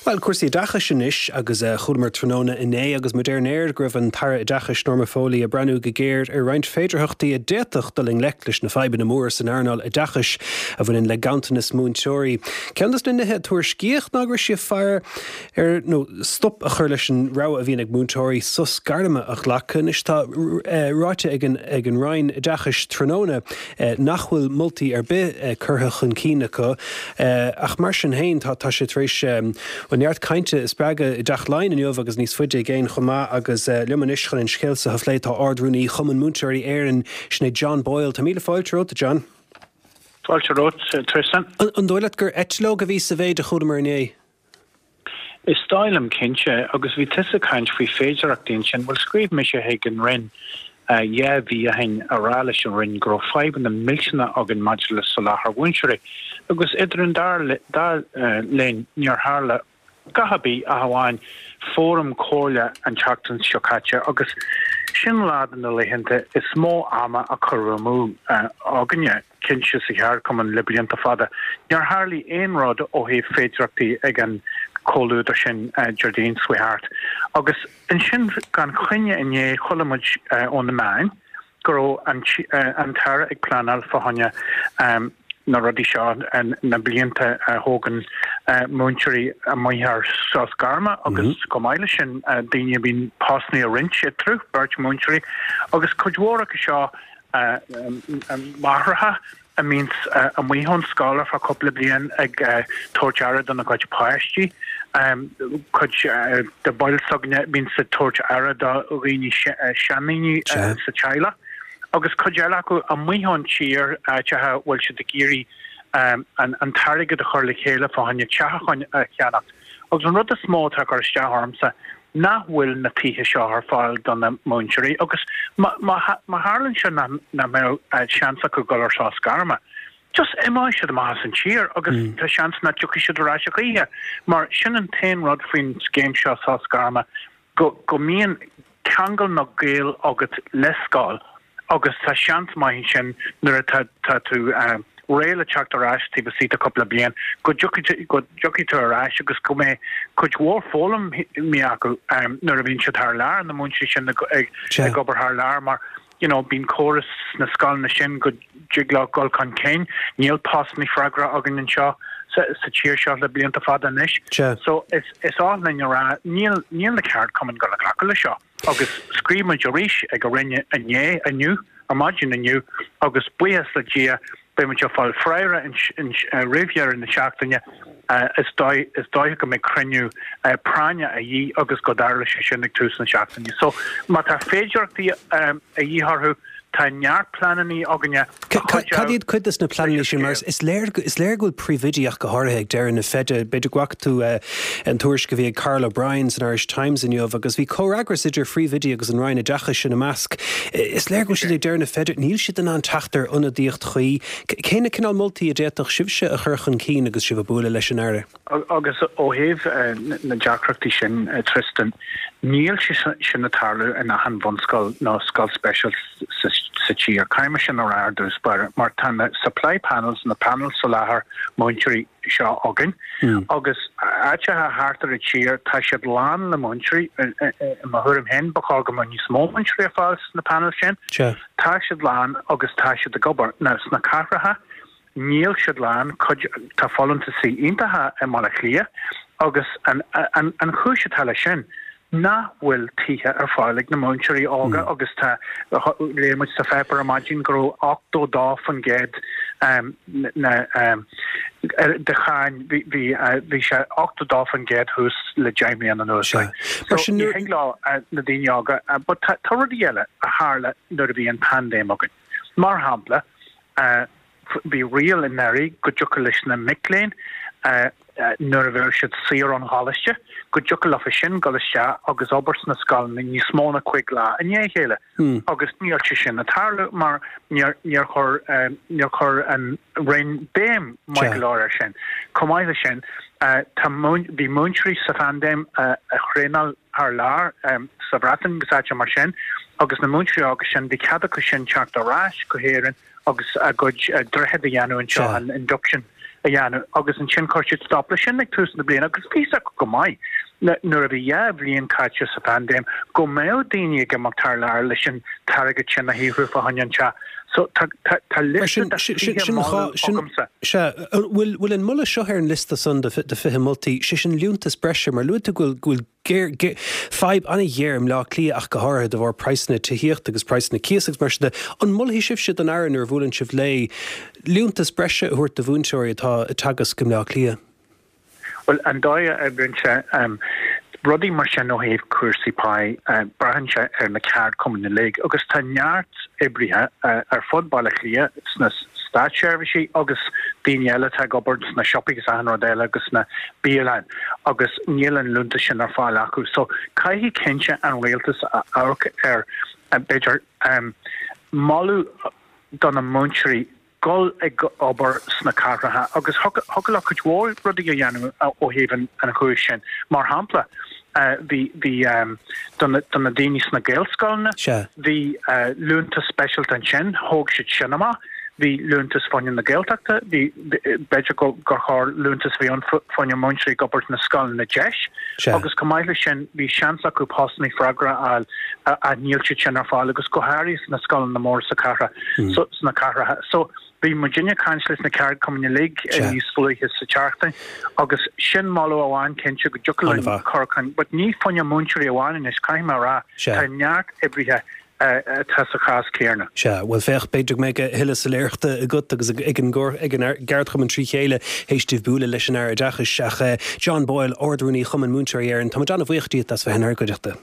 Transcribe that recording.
Bhuel, cúrsaí oideachais anois agus chualamar tráthnóna inné agus muid ar an aer go raibh an tAire Oideachais Norma Foley ag breathnú go géar ar roinnt féidearthachtaí a d'fhéadfadh dul i ngleic leis na fadhbanna móra san earnáil oideachais a bhaineann le ganntanas múinteoirí. Ceann de na nithe a tuairiscíodh ná go raibh sí ag faire ar nó stop a chur leis an rogha a bhíonn ag múinteoirí sos gairme a ghlacadh. Anois tá ráite ag an ag an Roinn Oideachais tráthnóna nach bhfuil moltaí ar bith curtha chun cinn acu ach mar sin féin tá tá sé tar éis bhuel neart cainte a spreagadh i dTeach Laighean inniu agus níos faide i gcéin chomh maith agus liom anois chun an scéal seo a phlé tá Ard-Rúnaí Chumann Múinteoirí Éireann, sin é John Boyle. Tá míle fáilte romhat, a John. Fáilte romhat, Tristan. An dóigh leat gur eitleog a bhí sa mhéid a chualamar inné? Is dóigh liom cinnte, agus bhí tusa ag caint faoi féidearthachtaí ansin, bhuel scríobh mise chuig an Roinn 2 mhí ó shin a rá leis an Roinn go raibh fadhbanna millteanna againn maidir le soláthar mhúinteoirí agus idir an dá linn níor tharla a dhath ar bith ach amháin fóram comhairle an tseachtain seo caite agus sin lá de na laethanta is mó ama a cuireadh amú againne. cinnte sa cheardchumann le blianta fada. Níor tharlaigh aon rud ó thaobh féidearthachtaí ag an comhluadar sin Déardaoin seo thart. Agus ansin gan choinne inné chuala muid ó na meáin go raibh an tAire ag pleanáil fá choinne na rudaí seo, na blianta a thógann múinteoirí amuigh ar sos gairme agus chomh maith leis sin daoine a bhíonn postanna a roinnt eatarthu, beirt mhúinteoirí agus cuid mhór acu seo máithreacha a mbíonns amuigh ón scoil ar feadh cúpla bliain ag tabhairt aire dona gcuid páistí, cuid de bhaill s'againne a bhíonns ag tabhairt aire do dhaoine, seandaoine sa teaghlach, agus cuid eile acu amuigh ón tír, áiteacha a bhfuil siad ag iarraidh an t-airgead a chur le chéile fá choinne teach a cheannacht. Agus an rud is mó atá ag cur isteach ormsa nach bhfuil na tithe seo ar fáil do na múinteoirí agus má tharlaíonn sé nach mbeadh seans acu dul ar sos gairme, just imeoidh siad amach as an tír agus tá seans nach dtiocfaidh siad ar ais a choíche mar sin an t-aon rud faoin scéim seo sos gairme go go mbíonn ceangal nó gaol agat le scoil agus tá seans maith ansin nuair atá tá tú réidh le teacht ar ais taobh istigh de cúpla bliain go dtiocfaidh go dtiocfaidh tú ar ais agus go mbeidh cuid mhór foghlamtha acu nuair a bhíonn siad thar lear, na múinteoirí sin ag ag obair thar lear mar you know bíonn córas sna scoileanna sin go dtig leo dul chun cinn. Níl postanna freagra againn anseo sa sa tír seo le blianta fada anois. So is is oth linn a rá níl níl na ceardchumainn ag dul a ghlacadh le seo. Agus scríobh muid arís ag an Roinn inné, inniu, ar maidin inniu agus buíochas le Dia beidh muid ag fáil freagra roimh dheireadh na seachtaine. Is dóigh is dóiche go mbeidh cruinniú práinne a dhíth agus go dtarlóidh sé sin ag tús na seachtaine. So má tá féidearthachtaí a dhíth orthu, tá neart pleananna againne. Cad iad cuid de na pleananna sin? Mar is léir is léir go bhfuil príomhoidí ach go háirithe ag deireadh na feide. B'fhéidir go bhfaca tú an tuairisc a bhí ag Karl O'Brien san Irish Times inniu agus bhí comhfhreagras idir phríomhoidí agus an Roinn Oideachais ina measc. Is léir go bhfuil siad ag deireadh na feide. Níl siad in ann teacht ar ionadaíocht chuí. Cé na cineál moltaí a d'fhéadfadh sibhse a chur chun cinn agus sibh ag bualadh leis an Aire? Agus ó thaobh na deacrachtaí sin, Tristan, níl sé sin ag tarlú in achan bhunscoil nó scoil speisialta sa tír. Caithfidh mé sin a rá ar dtús báire, mar tá na supply panels, na panels soláthair múinteoirí seo againn agus áiteacha thart ar an tír tá siad lán le múinteoirí. I mo thuairim féin, ba chóir go mbeadh níos mó múinteoirí ar fáil sna panels sin. Tá siad lán agus tá siad ag obair. Now, sna cathracha, Níl siad lán, cuid, tá folúntaisí iontacha i mBaile Átha Cliath agus an, an, an chúis atá leis sin nach bhfuil tithe ar fáil ag na múinteoirí óga agus tá, léigh muid sa pháipéar ar maidin go raibh 82% na, de cháin, bhí, bhí, bhí sé 82% thuas le 10 mbliana anuas. So ní thig leo na daoine óga, but tá, tá rudaí eile a tharla nuair a bhí an paindéim againn. Mar shampla, Bhí riail anuraidh go dtiocfadh leis na mic léinn, nuair a bheadh siad saor ón gcoláiste, go dtiocfadh leofa sin dul isteach agus obair sna scoileanna níos mó ná cuig lá i ndiaidh a chéile. Agus níl sé sin ag tarlú mar níor chuir níor chuir an Roinn béim maith go leor air sin. Chomh maith leis sin, tá bhí múinteoirí sa phaindéim a thraenáil thar lear, sa Bhreatain agus áiteacha mar sin, agus na múinteoirí óga sin, bhí cead acu sin teacht ar ais go hÉirinn agus a gcuid droichead a dhéanamh anseo, an induction. a dhéanamh agus ansin chuir siad stop leis sin ag tús na bliana agus bhí fhios acu go maith nuair a bhí 2 bhliain caite sa phaindéim go mbeadh daoine ag imeacht thar lear leis an t-airgead sin a shaothrú fá choinne an teach. So tá tá liosta de 20 moladh agamsa. Sea, bhfuil bhfuil an moladh seo ar an liosta san de 20 moltaí, sé sin liúntas breise, mar luaigh tú go bhfuil go bhfuil géar fadhb an-ghéar i mBleá Cliath ach go háirithe de bharr praghsanna tithíochta agus praghsanna cíosa agus mar sin de. An molfaidh sibhse don Aire nuair a bhuaileann sibh léi liúntas breise a thabhairt do mhúinteoirí atá ag teagasc i mBleá Cliath? Bhuel, an dóigh a oibríonn sé, rudaí mar sin ó thaobh cúrsaí páí, braitheann sé ar na ceardchumainn uilig agus tá neart oibrithe ar fud Bhaile Átha Cliath sna státseirbhísí agus daoine eile atá ag obair sna siopaí agus achan rud eile agus sna bialanna agus níl an liúntas sin ar fáil acu. So caithfidh cinnte an rialtas a amharc ar, b'fhéidir, moladh do na múinteoirí dul ag obair sna cathracha agus thiocfadh leo cuid mhór rudaí a dhéanamh ó thaobh an chúis sin. Mar shampla, bhí, bhí, do na, do na daoine sna Gaelscoileanna, bhí liúntas speisialta ansin, thóg siad sin amach. Bhí liúntas fá choinne na Gaeltachta, bhí, b'fhéidir gur chóir liúntas a bheith ann fá choinne múinteoirí ag obair sna scoileanna deis agus chomh maith leis sin bhí seans acu postanna freagra a fháil ach níl siad sin ar fáil agus go háirithe sna scoileanna móra sa chathair, sna cathracha. So bhí muidinne ag caint leis na ceardchumainn uilig níos luaithe sa tseachtain agus sin moladh amháin cinnte go dtiocfadh linn cur chun, but ní fá choinne múinteoirí amháin anois, caithfidh mé a rá, tá neart oibrithe atá sa chás céanna. Sea, bhuel féach, b'fhéidir go mbeidh a thuilleadh soiléireachta agat agus ag an gceardchumann trí chéile théis daoibh bualadh leis an Aire Oideachais. Ach John Boyle, Ard-Rúnaí Chumann Múinteoirí Éireann, tá muid an-bhuíoch díot as bheith inár gcuideachta.